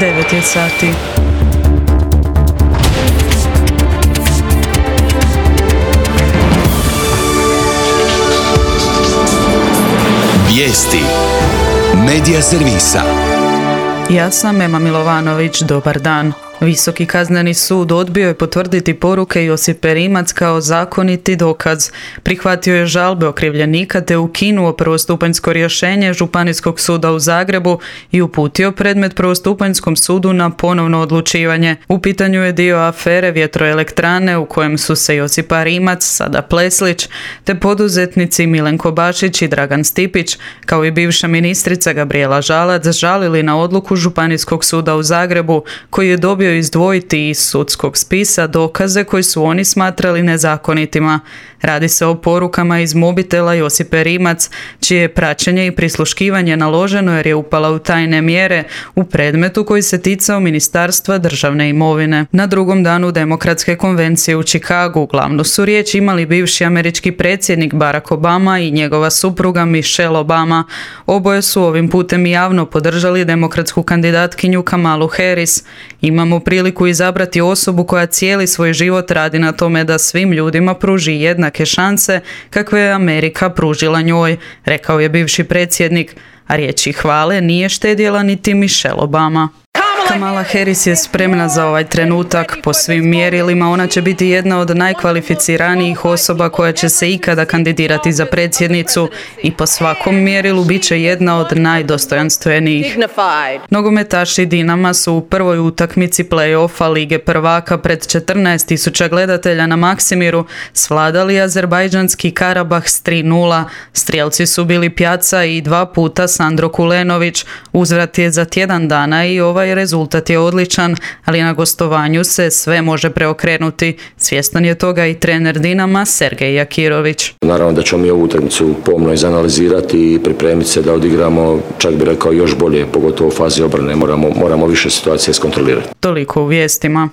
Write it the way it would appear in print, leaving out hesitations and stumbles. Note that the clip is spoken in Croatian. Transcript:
9 je sati. Vijesti Medija servisa. Ja sam Ema Milovanović, dobar dan. Visoki kazneni sud odbio je potvrditi poruke Josipe Rimac kao zakoniti dokaz. Prihvatio je žalbe okrivljenika te ukinuo prvostupanjsko rješenje Županijskog suda u Zagrebu i uputio predmet prvostupanjskom sudu na ponovno odlučivanje. U pitanju je dio afere vjetroelektrane u kojem su se Josipa Rimac, sada Pleslić, te poduzetnici Milenko Bašić i Dragan Stipić, kao i bivša ministrica Gabrijela Žalac, žalili na odluku Županijskog suda u Zagrebu, koji je dobio izdvojiti iz sudskog spisa dokaze koji su oni smatrali nezakonitima. Radi se o porukama iz mobitela Josipe Rimac, čije je praćenje i prisluškivanje naloženo jer je upala u tajne mjere u predmetu koji se ticao Ministarstva državne imovine. Na drugom danu Demokratske konvencije u Chicagu glavnu su riječ imali bivši američki predsjednik Barack Obama i njegova supruga Michelle Obama. Oboje su ovim putem javno podržali demokratsku kandidatkinju Kamalu Harris. Imamo priliku izabrati osobu koja cijeli svoj život radi na tome da svim ljudima pruži jednake šanse kakve je Amerika pružila njoj, rekao je bivši predsjednik, a riječi hvale nije štedjela niti Michelle Obama. Kamala Harris je spremna za ovaj trenutak. Po svim mjerilima ona će biti jedna od najkvalificiranijih osoba koja će se ikada kandidirati za predsjednicu i po svakom mjerilu bit će jedna od najdostojanstvenijih. Nogometaši Dinama su u prvoj utakmici play-offa Lige prvaka pred 14.000 gledatelja na Maksimiru svladali azerbajdžanski Karabah s 3:0. Strijelci su bili Pjaca i 2 puta Sandro Kulenović. Uzvrat je za tjedan dana i ovaj rezultat je odličan, ali na gostovanju se sve može preokrenuti. Svjestan je toga i trener Dinama Sergej Jakirović. Naravno da ćemo mi ovu utakmicu pomno izanalizirati i pripremiti se da odigramo, čak bi rekao, još bolje, pogotovo u fazi obrane. Moramo više situacije iskontrolirati. Toliko u vijestima.